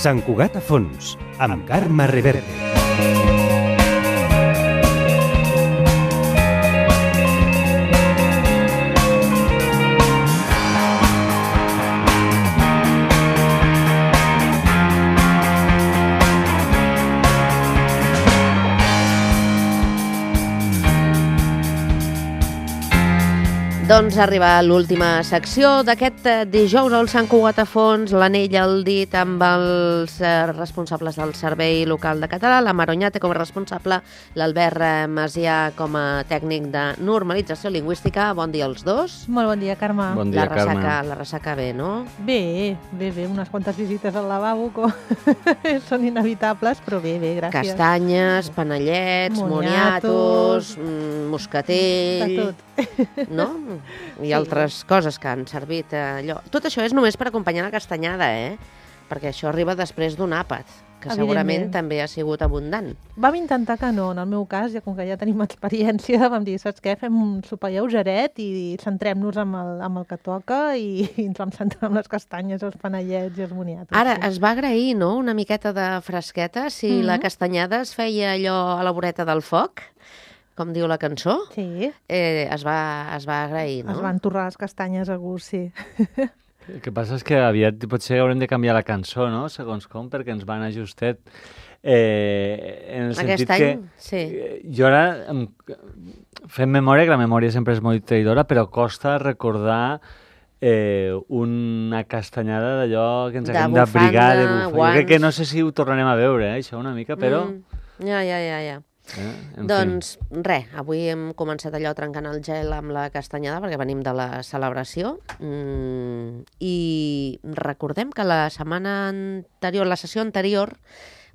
Sant Cugat a fons, amb Carme Reverte. Doncs arriba l'última secció d'aquest dijous al Sant Cugat a fons, l'anell al dit amb els responsables del Servei Local de Català, la Maronyate com a responsable, l'Albert Macià com a tècnic de normalització lingüística. Bon dia als dos. Molt bon dia, Carme. Bon dia, Carme. La ressaca bé, no? Bé, unes quantes visites al lavabo són inevitables, però bé, gràcies. Castanyes, panellets, moniatos, moscatell... De tot. No? I altres coses que han servit allò. Tot això és només per acompanyar la castanyada, perquè això arriba després d'un àpat, que segurament també ha sigut abundant. Vam intentar que no, en el meu cas, com que ja tenim experiència, vam dir, saps què, fem un sopar lleugeret i centrem-nos amb el que toca i ens vam centrar en les castanyes, els panellets i els moniatos. Ara, es va agrair, no?, una miqueta de fresqueta, si la castanyada es feia allò a la voreta del foc, com diu la cançó, sí. Es va agrair, no? Es van torrar les castanyes a gust, sí. El que passa és que aviat potser haurem de canviar la cançó, no?, segons com, perquè ens van anar justet. En el sentit any, que sí. Jo ara fem memòria, que la memòria sempre és molt traïdora, però costa recordar una castanyada d'allò que ens haguem d'abrigar, de bufar. Jo crec que no sé si ho tornarem a veure, això una mica, però... Ja. Doncs res, avui hem començat allò trencant el gel amb la castanyada perquè venim de la celebració i recordem que la sessió anterior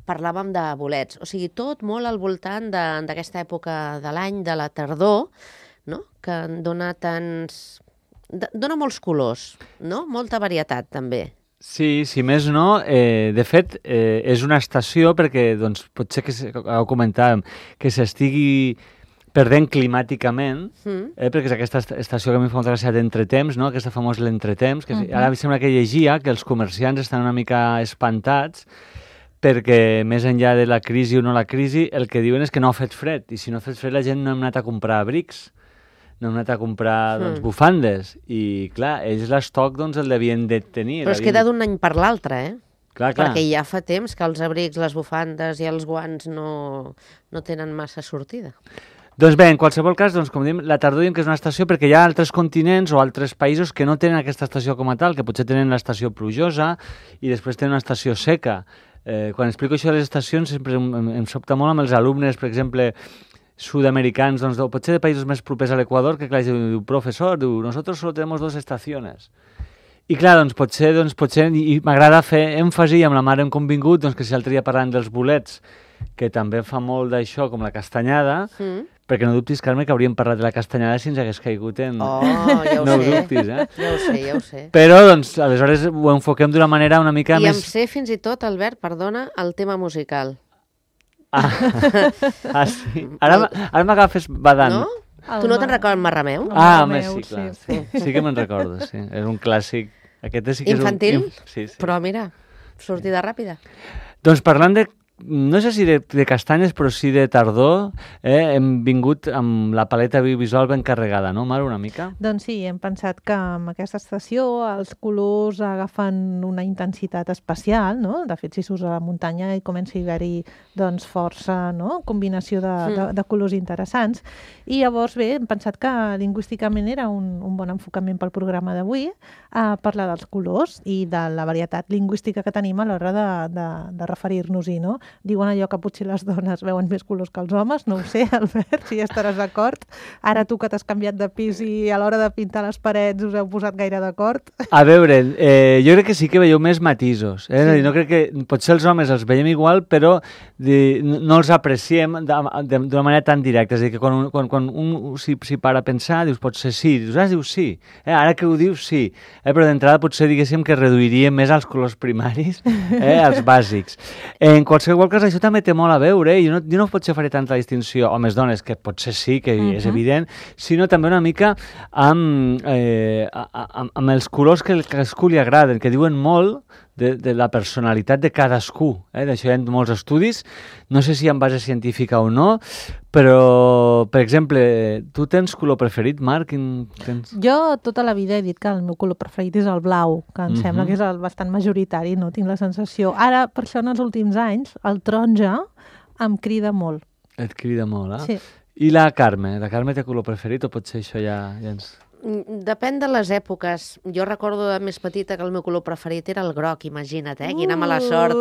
parlàvem de bolets, o sigui, tot molt al voltant d'aquesta època de l'any, de la tardor, no?, que dona molts colors, no?, molta varietat també. Sí, si més no, de fet, és una estació perquè, doncs, potser que ho comentàvem, que s'estigui perdent climàticament, perquè és aquesta estació que a mi fa molta gràcia d'entretemps, no?, aquesta famosa l'entretemps, que ara em sembla que llegia que els comerciants estan una mica espantats perquè més enllà de la crisi o no la crisi, el que diuen és que no ha fet fred, i si no ha fet fred la gent no hem anat a comprar abrics, no hem anat a comprar bufandes, i clar, ells l'estoc doncs el devien de tenir. Però es queda d'un any per l'altre, Clar. Perquè ja fa temps que els abrics, les bufandes i els guants no tenen massa sortida. Doncs bé, en qualsevol cas, doncs, com diem, la tardor diem que és una estació perquè hi ha altres continents o altres països que no tenen aquesta estació com a tal, que potser tenen l'estació plujosa i després tenen una estació seca. Quan explico això de les estacions sempre em sobta molt amb els alumnes, per exemple, sud-americans, doncs, potser de països més propers a l'Equador, que clar, diu, professor, nosotros solo tenemos 2 estaciones. I clar, doncs potser i m'agrada fer èmfasi, amb la mare hem convingut, doncs que si l'altre dia parlant dels bolets, que també fa molt d'això, com la castanyada, perquè no dubtis, Carme, que hauríem parlat de la castanyada si ens hagués caigut en... Ja ho no sé. Dubtis, Ja ho sé. Però, doncs, aleshores ho enfoquem d'una manera una mica més... I em sé fins i tot, Albert, perdona, el tema musical. Sí. Ara m'agafes badant. No? Tu no te'n recordes Marrameu? Sí, clar. Sí que me'n recordo, sí. És un clàssic. Aquest sí que infantil? Sí. Però mira, sortida ràpida. Doncs parlant de, no sé si de castanyes, però sí de tardor, hem vingut amb la paleta visual ben carregada, no, Mar, una mica? Doncs sí, hem pensat que amb aquesta estació els colors agafen una intensitat especial, no? De fet, si surts a la muntanya i comença a haver-hi doncs, força, no?, combinació de colors interessants. I llavors, bé, hem pensat que lingüísticament era un bon enfocament pel programa d'avui, parlar dels colors i de la varietat lingüística que tenim a l'hora de referir-nos-hi, no? Diuen allò que potser les dones veuen més colors que els homes, no ho sé, Albert, si ja estaràs d'acord. Ara tu que t'has canviat de pis i a l'hora de pintar les parets us heu posat gaire d'acord. A veure, jo crec que sí que veieu més matisos. Sí. No crec que potser els homes els veiem igual, però no els apreciem d'una manera tan directa. És a dir, que quan un s'hi para a pensar, dius potser sí, dius sí. Ara que ho dius sí. Però d'entrada potser diguéssim que reduiríem més els colors primaris, els bàsics. En qualsevol cas, això també té molt a veure, i jo no potser faré tanta distinció homes-dones, que potser sí, que és evident, sinó també una mica amb els colors que a cadascú li agraden, que diuen molt de la personalitat de cadascú. D'això hi ha molts estudis, no sé si en base científica o no, però, per exemple, tu tens color preferit, Marc? Jo tota la vida he dit que el meu color preferit és el blau, que em sembla que és el bastant majoritari, no tinc la sensació. Ara, per això, en els últims anys, el taronja em crida molt. Et crida molt, eh? Sí. I la Carme? La Carme té color preferit o potser això ja ens... Depèn de les èpoques. Jo recordo de més petita que el meu color preferit era el groc, imagina't, quina mala sort.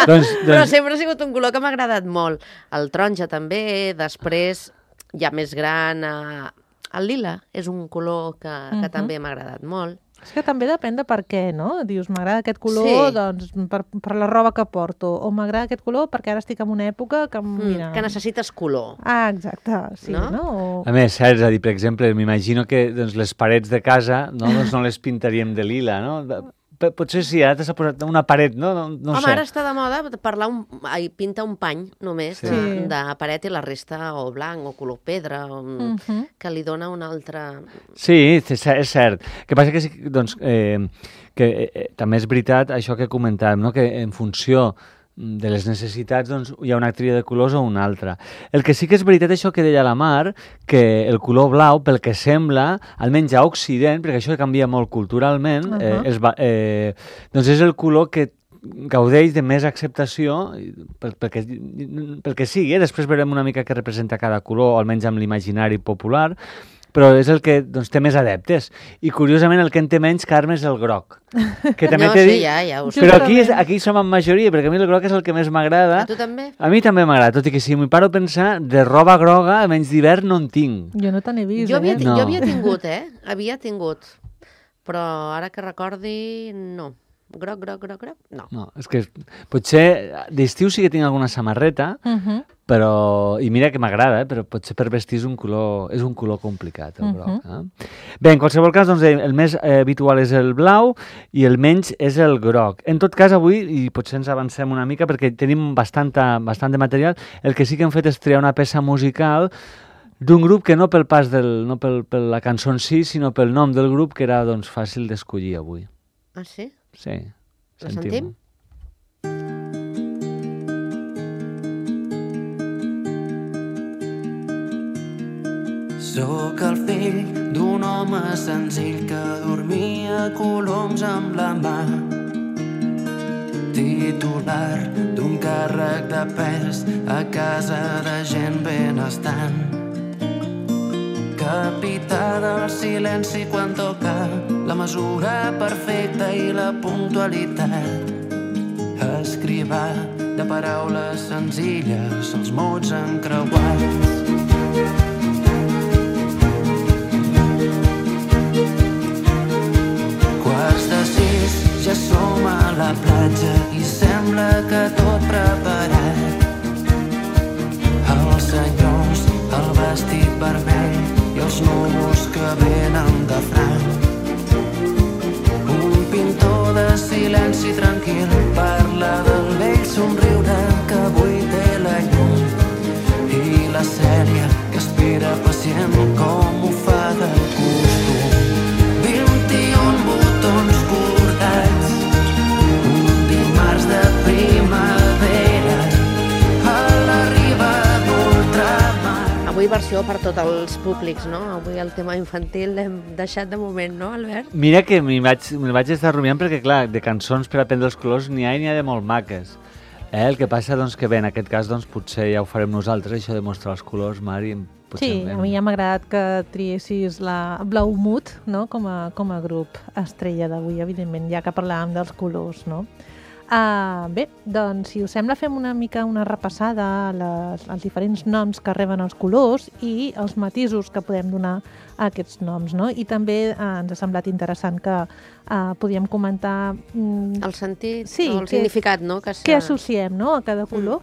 Però sempre ha sigut un color que m'ha agradat molt. El taronja també, després, ja més gran, el lila és un color que també m'ha agradat molt. És que també depèn de per què, no? Dius, m'agrada aquest color doncs, per la roba que porto, o m'agrada aquest color perquè ara estic en una època que... Mira... Que necessites color. Ah, exacte, sí, no? A més, cert, és a dir, per exemple, m'imagino que doncs, les parets de casa doncs, no les pintaríem de lila, no? Potser sí, ara t'has posat una paret, no? No Home, sé. ara està de moda pintar un pany només de paret i la resta o blanc o color pedra, que li dona una altra... Sí, és cert. El que passa que, doncs, també és veritat això que comentàvem, no? Que en funció de les necessitats doncs, hi ha una tria de colors o una altra. El que sí que és veritat això que deia la Mar, que el color blau, pel que sembla, almenys a Occident, perquè això canvia molt culturalment, doncs és el color que gaudeix de més acceptació pel que sigui. Després veurem una mica què representa cada color, almenys amb l'imaginari popular, però és el que doncs, té més adeptes. I, curiosament, el que en té menys, Carme, és el groc. Que també no, sí, ja ho sé. Però aquí som en majoria, perquè a mi el groc és el que més m'agrada. A tu també? A mi també m'agrada, tot i que si m'hi paro a pensar, de roba groga, almenys d'hivern, no en tinc. Jo no te n'he vist, Jo havia tingut, Havia tingut. Però ara que recordi, no. Groc, no. No, és que potser d'estiu sí que tinc alguna samarreta, però, i mira que m'agrada, però potser per vestir és un color complicat, el groc. Bé, en qualsevol cas, doncs, el més habitual és el blau i el menys és el groc. En tot cas, avui, i potser ens avancem una mica perquè tenim bastant de material, el que sí que hem fet és triar una peça musical d'un grup que no pel pas no per la cançó en si, sinó pel nom del grup, que era doncs, fàcil d'escollir avui. Ah, sí? Sí. La sentim? Sóc el fill d'un home senzill que dormia coloms amb la mà, titular d'un càrrec de pes a casa de gent benestant, capità del silenci quan toca la mesura perfecta i la puntualitat, escrivà de paraules senzilles els mots encreuats. Quarts de 6, ja som a la platja i sembla que tot preparat. Els senyors, el vestit vermell i els núvols que venen de franc. Un pintor de silenci tranquil parla del vell somriure que avui té la llum i la Cèlia que espera pacient com ho fa de costum. 21 botons bordats, un dimarts de primavera a la riba d'ultramar. Avui versió per tots els públics, no? Avui el tema infantil l'hem deixat de moment, no, Albert? Mira que me'l vaig estar rumiant perquè, clar, de cançons per aprendre els colors n'hi ha de molt maques. El que passa, doncs, que bé, en aquest cas, doncs, potser ja ho farem nosaltres, això de mostrar els colors, Mari. Sí, a mi ja m'ha agradat que triessis la Blaumut, no?, com a grup estrella d'avui, evidentment, ja que parlàvem dels colors, no? Bé, doncs, si us sembla, fem una mica una repassada als diferents noms que reben els colors i els matisos que podem donar a aquests noms, no? I també ens ha semblat interessant que podíem comentar... El sentit, o el significat, no? Què associem, no?, a cada color.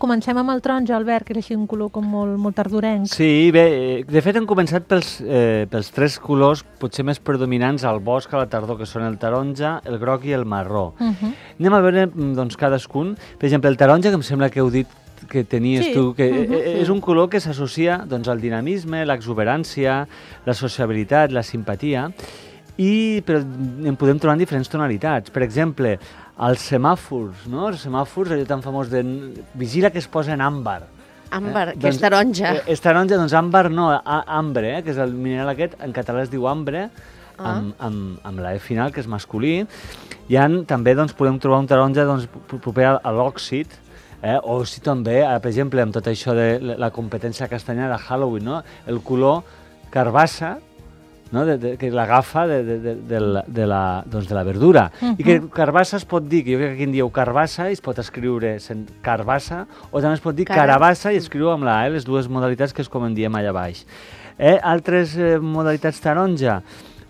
Comencem amb el taronja, Albert, que és així un color com molt tardorenc. Sí, bé, de fet hem començat pels tres colors potser més predominants al bosc a la tardor, que són el taronja, el groc i el marró. Anem a veure doncs, cadascun. Per exemple, el taronja, que em sembla que heu dit que tenies tu, que és un color que s'associa doncs, al dinamisme, l'exuberància, la sociabilitat, la simpatia. però en podem trobar en diferents tonalitats. Per exemple, els semàfors, no? Els semàfors, allò tan famós de vigila que es posa en àmbar. Àmbar, que és taronja. És taronja, doncs àmbar no, ambre, que és el mineral aquest, en català es diu ambre, amb la E final, que és masculí. També doncs, podem trobar un taronja doncs, proper a l'òxid, o si també, per exemple, amb tot això de la competència castanyada de Halloween, no? El color carbassa, no? Que l'agafa de la verdura. I que carbassa es pot dir, que jo crec que aquí en dieu carbassa i es pot escriure carbassa, o també es pot dir carabassa i escriu amb la A, les dues modalitats que és com en diem allà baix. Altres modalitats taronja,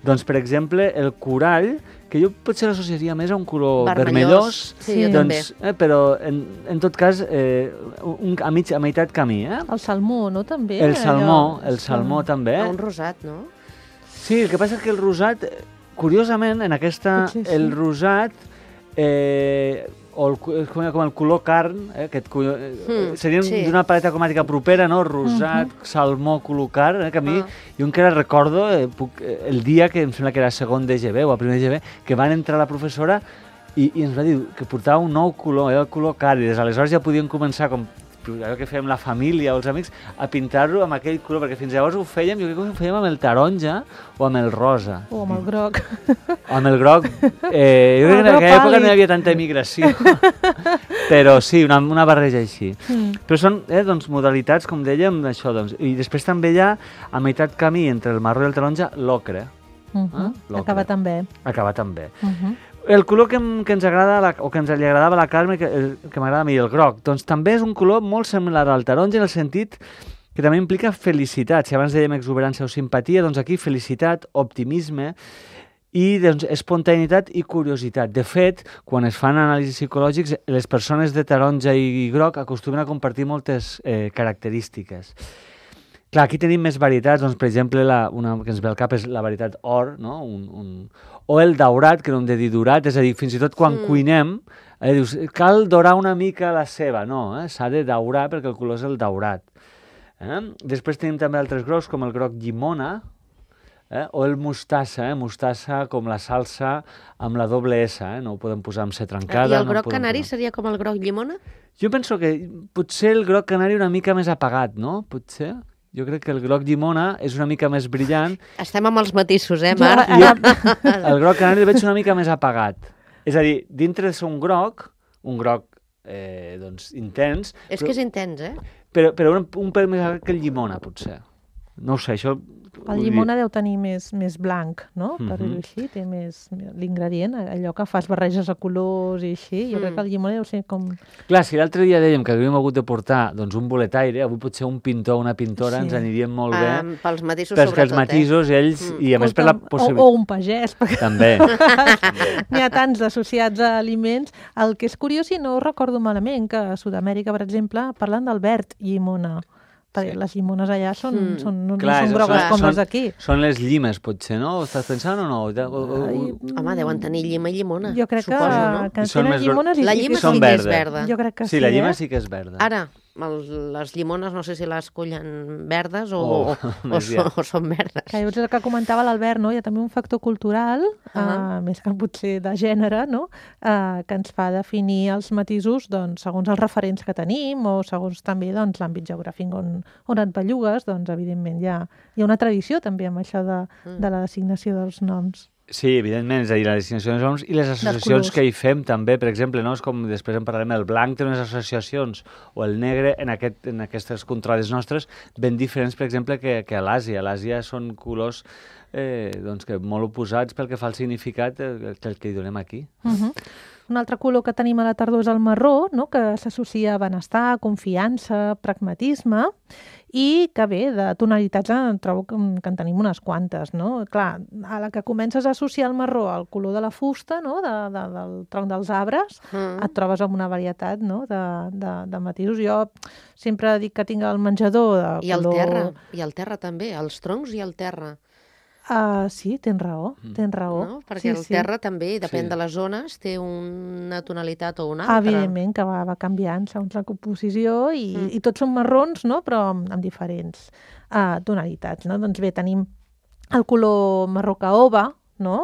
doncs per exemple el corall, que jo potser l'associaria més a un color vermellós, sí, jo també. Però en tot cas a meitat camí. El salmó, no? També. El salmó també. Un rosat, no? Sí, el que passa és que el rosat, curiosament, en aquesta, el rosat, com el color carn, serien d'una paleta cromàtica propera, no? Rosat, salmó, color carn, que a mi, jo encara recordo el dia que em sembla que era segon d'EGB o a primer d'EGB, que van entrar la professora i ens va dir que portava un nou color, el color carn, i des d'aleshores ja podien començar com allò que fèiem la família o els amics, a pintar-lo amb aquell color, perquè fins llavors ho fèiem, jo crec que ho fèiem amb el taronja o amb el rosa. O amb el groc. O amb el groc. Jo crec que en aquella època no hi havia tanta emigració. Però sí, una barreja així. Però són doncs, modalitats, com dèiem, d'això. Doncs. I després també hi ha, a meitat camí entre el marró i el taronja, l'ocre. Acaba també. Acaba també. El color que ens agrada, o que ens li agradava a la Carme, que m'agrada a mi, el groc, doncs també és un color molt similar al taronja en el sentit que també implica felicitat. Si abans dèiem exuberància o simpatia, doncs aquí felicitat, optimisme i doncs, espontaneïtat i curiositat. De fet, quan es fan anàlisis psicològics, les persones de taronja i groc acostumen a compartir moltes característiques. Clar, aquí tenim més varietats, doncs, per exemple, una que ens ve al cap és la varietat or, no? O el daurat, que no hem de dir durat, és a dir, fins i tot quan cuinem, dius, cal dorar una mica la ceba, no, s'ha de daurar perquè el color és el daurat. Després tenim també altres grocs, com el groc llimona, o el mostassa, mostassa com la salsa amb la doble S, no ho podem posar amb C trencada. I el groc canari seria com el groc llimona? Jo penso que potser el groc canari una mica més apagat, no? Potser... Jo crec que el groc llimona és una mica més brillant. Estem amb els matisos, Marc? El groc canari el veig una mica més apagat. És a dir, dintre de ser un groc doncs, intens... És que és intens, Però un pèl més apagat que el llimona, potser. No ho sé, això... El llimona deu tenir més blanc, no? Per dir-ho així, té més l'ingredient, allò que fas barreges de colors i així. Jo crec que el llimona deu ser com... Clar, si l'altre dia dèiem que havíem hagut de portar doncs, un boletaire, avui potser un pintor o una pintora ens anirien molt bé. Pels matisos, sobretot. Perquè els matisos, ells, i a més per la possibilitat... O un pagès. També. N'hi ha tants associats a aliments. El que és curiós, i no recordo malament, que a Sud-amèrica, per exemple, parlen del verd llimona. Perquè les llimones allà no són grogues com les d'aquí. Són les llimes, potser, no? Ho estàs pensant o no? Home, deuen tenir llima i llimona. Jo crec que tenen llimones la llima sí que és verda. Jo crec que sí, la llima sí que és verda. Ara, les llimones no sé si les cullen verdes o són verdes. Que és el que comentava l'Albert, no? Hi ha també un factor cultural, més que potser de gènere, no? Que ens fa definir els matisos doncs, segons els referents que tenim o segons també doncs, l'àmbit geogràfic on et bellugues, doncs evidentment hi ha una tradició també amb això de la designació dels noms. Sí, evidentment, és a dir, la designació dels noms i les associacions que hi fem també, per exemple, no? És com després en parlarem, el blanc té unes associacions o el negre en aquestes contrades nostres ben diferents, per exemple, que a l'Àsia. A l'Àsia són colors doncs, que molt oposats pel que fa al significat que hi donem aquí. Un altre color que tenim a la tardor és el marró, no? Que s'associa a benestar, confiança, pragmatisme, i que bé, de tonalitats trobo que en tenim unes quantes, no? Clar, a la que comences a associar el marró al color de la fusta, no? Del tronc dels arbres, et trobes amb una varietat, no? de matisos. Jo sempre dic que tinc el menjador de color... I el terra també, els troncs i el terra. Sí, tens raó. No? Perquè el terra també, depèn de les zones, té una tonalitat o una altra. Evidentment, que va canviant segons la composició i tots són marrons, no? Però amb diferents tonalitats. No? Doncs bé, tenim el color marró caoba, no?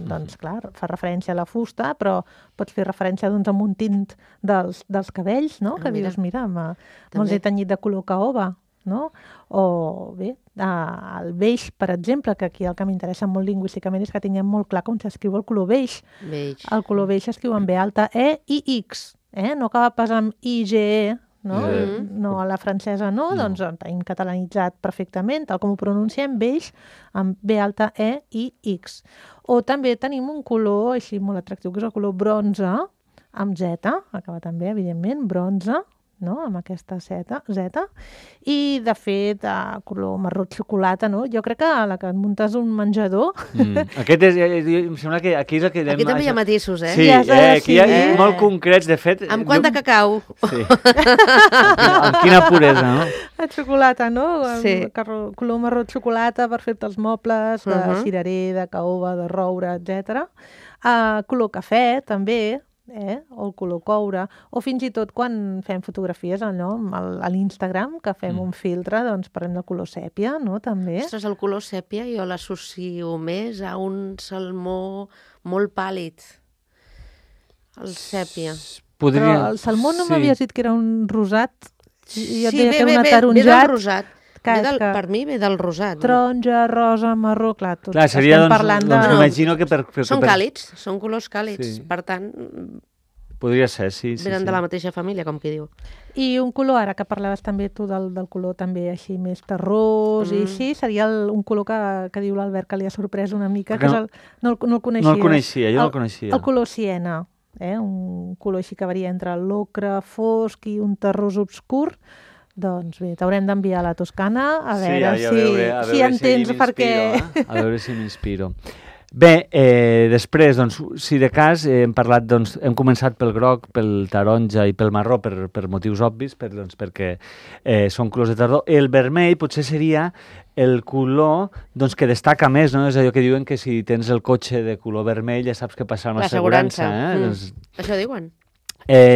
Doncs, clar, fa referència a la fusta, però pots fer referència doncs, a un tint dels cabells, no? Que dius, mira, me'ls he tenyit de color caoba, no? O bé, el beix, per exemple, que aquí el que m'interessa molt lingüísticament és que tinguem molt clar com s'escriu el color beix. El color beix s'escriu amb B alta, E i X, no acaba pas amb I-G-E, no? No, a la francesa no, doncs el tenim catalanitzat perfectament, tal com ho pronunciem, beix, amb B alta, E i X. O també tenim un color així molt atractiu, que és el color bronze, amb Z, acaba també, evidentment, bronze, no? Amb aquesta Z. I, de fet, color marró xocolata, no? Jo crec que a la que et muntes un menjador... Aquest és, em sembla que aquí és el que... Aquí també hi ha matisos, Sí, aquí hi ha molt concrets, de fet... Amb quant de cacau? Sí. Amb quina puresa, no? La xocolata, no? Sí. Color marró xocolata per fer-te els mobles, de cirerer, de caoba, de roure, etc. Color cafè, també, o el color coure, o fins i tot quan fem fotografies a l'Instagram, que fem un filtre, doncs parlem del color sèpia, no? També. Ostres, el color sèpia jo l'associo més a un salmó molt pàl·lid. El sèpia. Però el salmó no m'havies dit que era un rosat? Sí, ve del rosat. Per mi ve del rosat. Taronja, rosa, marró, clar, tot. Clar, seria, doncs, m'imagino que són càlids, són colors càlids, per tant... Podria ser, sí. Venen de la mateixa família, com qui diu. I un color, ara que parlaves també tu del color també així més terrós i així, seria un color que diu l'Albert que li ha sorprès una mica, que és no el coneixia. No el coneixia, jo no el coneixia. El color siena, un color així que varia entre l'ocre fosc i un terrós obscur. Doncs bé, t'haurem d'enviar a la Toscana a veure si entens per què. A veure si m'inspiro. Bé, després, doncs, si de cas, hem parlat, doncs, hem començat pel groc, pel taronja i pel marró per motius obvis, perquè són colors de tardor. El vermell potser seria el color doncs, que destaca més, no? És allò que diuen que si tens el cotxe de color vermell ja saps què passarà amb l'assegurança. Doncs... Això diuen?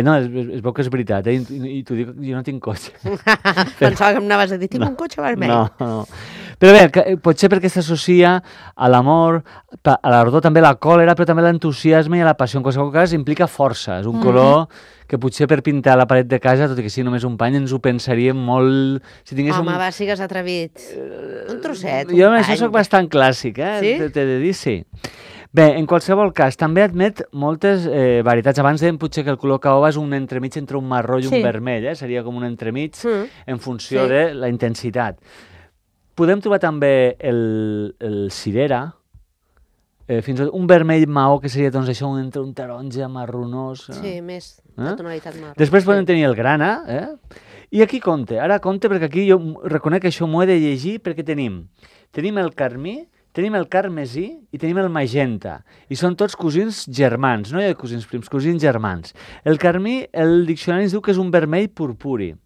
No, es veu que és veritat, i t'ho dic, jo no tinc cotxe. Pensava que em anaves a dir, tinc un cotxe vermell. No. Però bé, potser perquè s'associa a l'amor, a l'ardor, també a la còlera, però també a l'entusiasme i a la passió. En qualsevol cas, implica força. És un color que potser per pintar la paret de casa, tot i que sigui només un pany, ens ho pensaríem molt... Home, va, sigues atrevit. Un trosset, jo amb això soc bastant clàssic, Sí? T'he de dir, sí. Bé, en qualsevol cas, també admet moltes varietats. Abans dèiem potser que el color caoba és un entremig entre un marró i un vermell, seria com un entremig en funció de la intensitat. Podem trobar també el cirera, fins i tot un vermell maó, que seria doncs, això entre un taronja marronós. Sí, més de tonalitat marró. Després podem tenir el grana, i aquí compte, perquè aquí jo reconec que això m'ho he de llegir, perquè tenim el carmí, tenim el carmesí i tenim el magenta. I són tots cosins germans, no hi ha cosins prims, cosins germans. El carmí, el diccionari ens diu que és un vermell purpuri.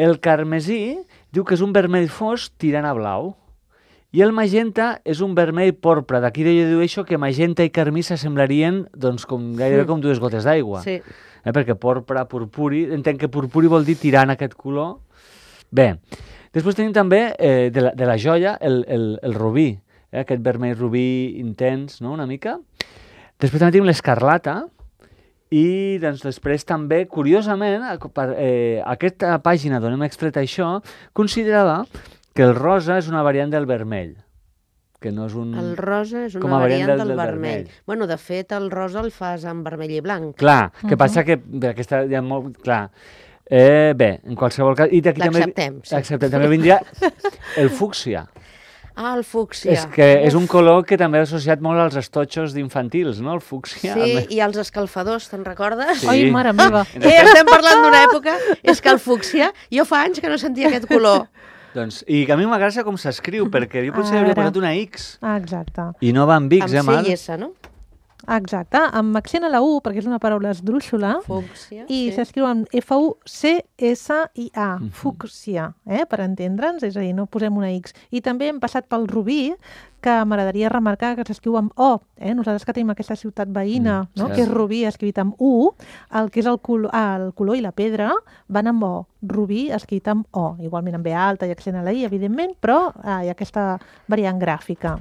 El carmesí diu que és un vermell fosc tirant a blau. I el magenta és un vermell porpra. D'aquí dedueixo que magenta i carmí s'assemblarien doncs, gairebé com dues gotes d'aigua. Sí. Perquè porpra, purpuri, entenc que purpuri vol dir tirant aquest color. Bé, després tenim també de la joia el rubí, aquest vermell rubí intens, no?, una mica. Després també tenim l'escarlata i doncs, després també, curiosament, aquesta pàgina d'on hem extret això considerava que el rosa és una variant del vermell. Que no és un... El rosa és una variant del vermell. Bueno, de fet, el rosa el fas en vermell i blanc. Clar, que passa que aquesta ja molt... Clar. Bé, en qualsevol cas... L'acceptem, sí. Acceptem. També vindria el fúcsia. Ah, el fúcsia. És que és un color que també ha associat molt als estotxos d'infantils, no? El fúcsia. Sí, i als escalfadors, te'n recordes? Sí. Ai, mare meva. Estem parlant d'una època, és que el fúcsia, jo fa anys que no sentia aquest color. Doncs, i que a mi m'agrada com s'escriu, perquè jo potser hauria posat una X. Exacte. I no va amb X, amb C i S, no? Exacte, amb accent a la U, perquè és una paraula esdrúixola, fúcsia, i s'escriu amb F-U-C-S-I-A, fúcsia, per entendre'ns, és a dir, no posem una X. I també hem passat pel rubí, que m'agradaria remarcar que s'escriu amb O. Nosaltres que tenim aquesta ciutat veïna, que és Rubí, escrit amb U, el que és el color i la pedra van amb O. Rubí, escrit amb O. Igualment amb B alta i accent a la I, evidentment, però hi ha aquesta variant gràfica.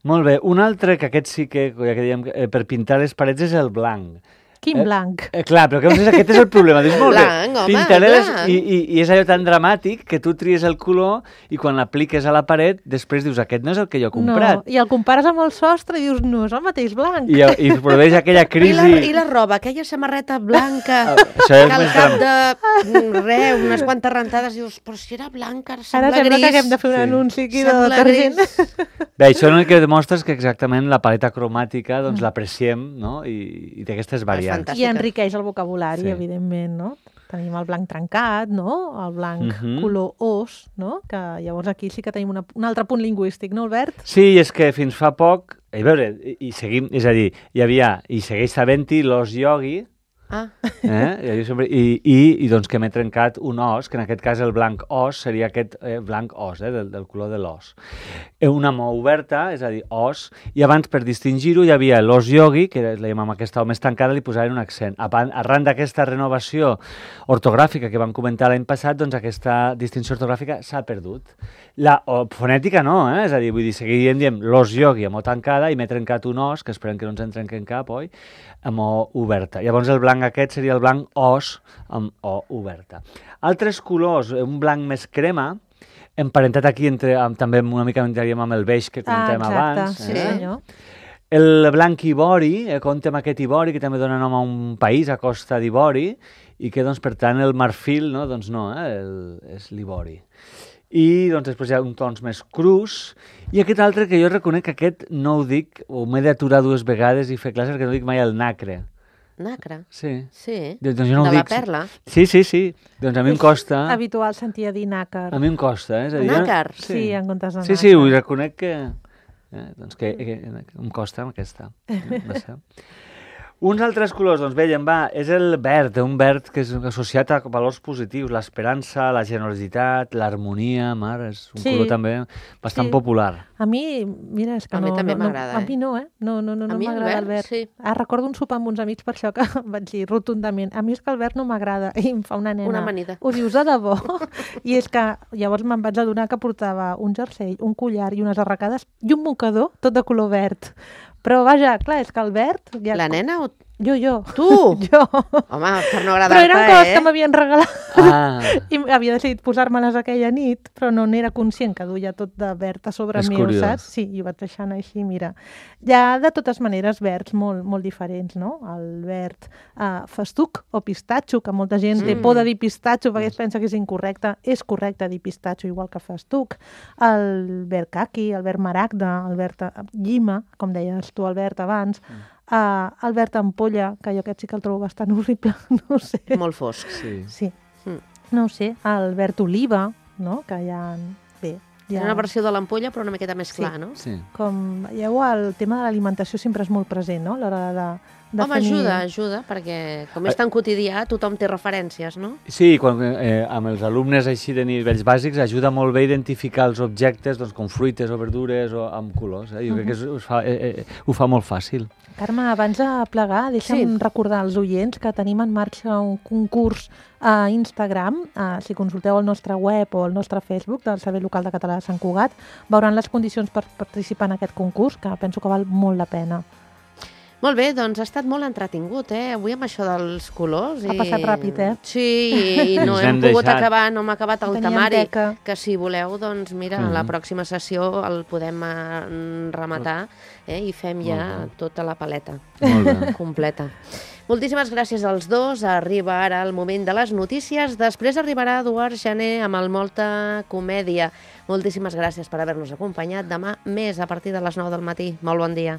Molt bé. Un altre, que aquest sí que, ja que dèiem, per pintar les parets és el blanc. Quin blanc. Clar, però aquest és el problema. Dius, molt Blanc, bé, home, pintaré blanc. i és allò tan dramàtic que tu tries el color i quan l'apliques a la paret després dius, aquest no és el que jo he comprat. No, i el compares amb el sostre i dius, no, és el mateix blanc. I produeix aquella crisi... I la roba, aquella samarreta blanca, Això que és al més cap de unes quantes rentades dius, però si era blanca, ara sembla Ara sembla gris. que haguem de fer un Sí. anunci aquí de Sembla detergent. gris. Bé, això l'únic que demostra és que exactament la paleta cromàtica doncs l'apreciem, no? I té aquestes variants. fantàstic. I enriqueix el vocabulari, Sí. evidentment, no? Tenim el blanc trencat, no? El blanc color os, no? Que llavors aquí sí que tenim un altre punt lingüístic, no, Albert? Sí, és que fins fa poc, a veure, i seguim, és a dir, hi havia, i segueix sabent-hi, l'os yogi, Ah, i doncs que m'he trencat un os, que en aquest cas el blanc os seria aquest blanc os, del color de l'os. Una mà oberta, és a dir, os, i abans per distingir-ho hi havia l'os yogi, que la amb aquesta o més tancada li posaven un accent. Arran d'aquesta renovació ortogràfica que vam comentar l'any passat, doncs aquesta distinció ortogràfica s'ha perdut. La fonètica no, és a dir, vull dir, diem l'os yogi amb o tancada i m'he trencat un os, que esperem que no ens en trenquen cap, oi? Amb o oberta. Llavors el blanc aquest seria el blanc os amb o oberta. Altres colors, un blanc més crema, emparentat aquí també una mica entraríem amb el beix que comentàvem abans. Sí, senyor. El blanc ivori, compta amb aquest ivori que també dona nom a un país, a Costa d'Ivori, i que doncs per tant el marfil, no? Doncs no, és l'ivori. I doncs després hi ha uns tons més crus, i aquest altre que jo reconec que aquest no ho dic, o m'he d'aturar dues vegades i fer classes perquè no dic mai el nacre. nacre. Sí. Sí, Doncs jo no ho de la dic. perla. Sí. Doncs a mi em costa. Habitual sentir a dir nàcar. A mi em costa, És a dir, Nàcar? Sí, en comptes de nàcar. Sí, ho reconec que... doncs que em costa amb aquesta. No sé. Uns altres colors, doncs veiem, és el verd, un verd que és associat a valors positius, l'esperança, la generositat, l'harmonia, és un color també bastant popular. A mi, mira, és que A mi també m'agrada, A mi no, No mi el m'agrada el verd, verd. sí. Recordo un sopar amb uns amics per això que vaig dir rotundament. A mi és que el verd no m'agrada. I em fa una nena. Una amanida. Ho dius de debò? I és que llavors me'n vaig adonar que portava un jersei, un collar i unes arracades i un mocador tot de color verd. Però vaja, clar, és que el verd... Ja... La nena o Jo. tu? Jo. Home, per no Però agradar-te, eren coses que m'havien regalat. I havia decidit posar-me-les aquella nit, però no n'era conscient que duia tot de verd a sobre És meu, curiós. saps? Sí, i ho vaig deixant així, mira. Hi ha, de totes maneres, verds molt, molt diferents, no? El verd festuc o pistatxo, que molta gent té por de dir pistatxo perquè es pensa que és incorrecte. És correcte dir pistatxo igual que festuc. El verd caqui, el verd maragda, el verd llima, com deies tu, Albert, abans. El verd ampolla, que jo aquest sí que el trobo bastant horrible, no sé. Molt fosc. Sí. No ho sé, el verd oliva, no? Que hi ha... Bé, Hi ha una versió de l'ampolla, però una miqueta més clar, no? Sí. com veieu, el tema de l'alimentació sempre és molt present, no? A l'hora de Home, definir... ajuda, perquè com és tan quotidià, tothom té referències, no? Sí, quan, amb els alumnes així de nivells bàsics ajuda molt bé a identificar els objectes doncs, com fruites o verdures o amb colors. Jo crec que ho fa molt fàcil. Carme, abans de plegar, deixa'm recordar als oients que tenim en marxa un concurs a Instagram. Si consulteu el nostre web o el nostre Facebook del Servei Local de Català de Sant Cugat, veuran les condicions per participar en aquest concurs, que penso que val molt la pena. Molt bé, doncs ha estat molt entretingut, Avui amb això dels colors. Ha passat ràpid, Sí, i no Ens hem hem pogut deixat. acabar, no hem acabat el Teníem temari, teca. que si voleu, doncs mira, a la pròxima sessió el podem rematar i fem ja tota la paleta Molt bé. completa. Moltíssimes gràcies als dos. Arriba ara el moment de les notícies. Després arribarà Eduard Jané amb el Molta Comèdia. Moltíssimes gràcies per haver-nos acompanyat. Demà més a partir de les 9 del matí. Molt bon dia.